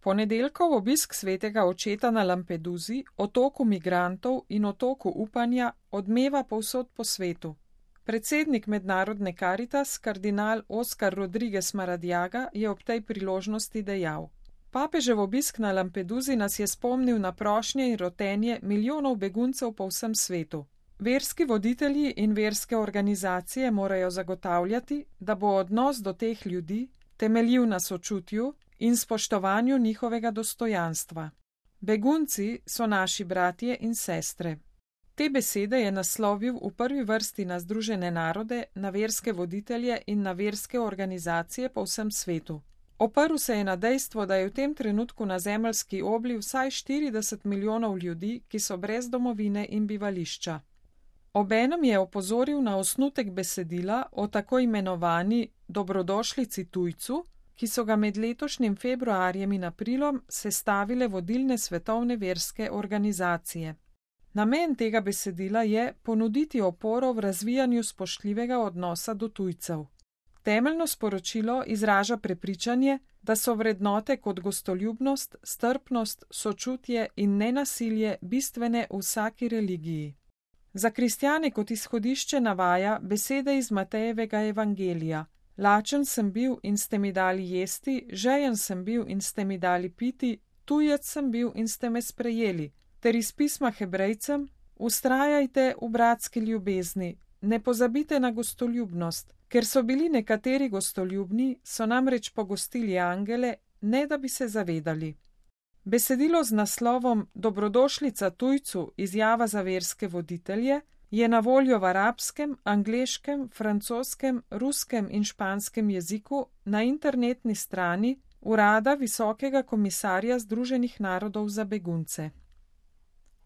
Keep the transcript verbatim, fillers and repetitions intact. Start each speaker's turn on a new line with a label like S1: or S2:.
S1: Ponedeljkov obisk svetega očeta na Lampedusi, otoku migrantov in otoku upanja, odmeva povsod po svetu. Predsednik Mednarodne Karitas, kardinal Oskar Rodriguez Maradiaga, je ob tej priložnosti dejal: Papežev obisk na Lampedusi nas je spomnil na prošnje in rotenje milijonov beguncev po vsem svetu. Verski voditelji in verske organizacije morajo zagotavljati, da bo odnos do teh ljudi temeljil na sočutju in spoštovanju njihovega dostojanstva. Begunci so naši bratje in sestre. Te besede je naslovil v prvi vrsti na Združene narode, na verske voditelje in na verske organizacije po vsem svetu. Oprl se je na dejstvo, da je v tem trenutku na zemeljski obli vsaj štirideset milijonov ljudi, ki so brez domovine in bivališča. Obenem je opozoril na osnutek besedila o tako imenovani dobrodošlici tujcu, ki so ga med letošnjim februarjem in aprilom sestavile vodilne svetovne verske organizacije. Namen tega besedila je ponuditi oporo v razvijanju spoštljivega odnosa do tujcev. Temeljno sporočilo izraža prepričanje, da so vrednote kot gostoljubnost, strpnost, sočutje in nenasilje bistvene v vsaki religiji. Za kristjane kot izhodišče navaja besede iz Matejevega evangelija: Lačen sem bil in ste mi dali jesti, žejen sem bil in ste mi dali piti, tujec sem bil in ste me sprejeli. Ter iz pisma Hebrejcem: Vztrajajte v bratski ljubezni, ne pozabite na gostoljubnost, ker so bili nekateri gostoljubni, so namreč pogostili angele, ne da bi se zavedali. Besedilo z naslovom Dobrodošlica tujcu, izjava za verske voditelje je na voljo v arabskem, angleškem, francoskem, ruskem in španskem jeziku na internetni strani Urada Visokega komisarja Združenih narodov za begunce.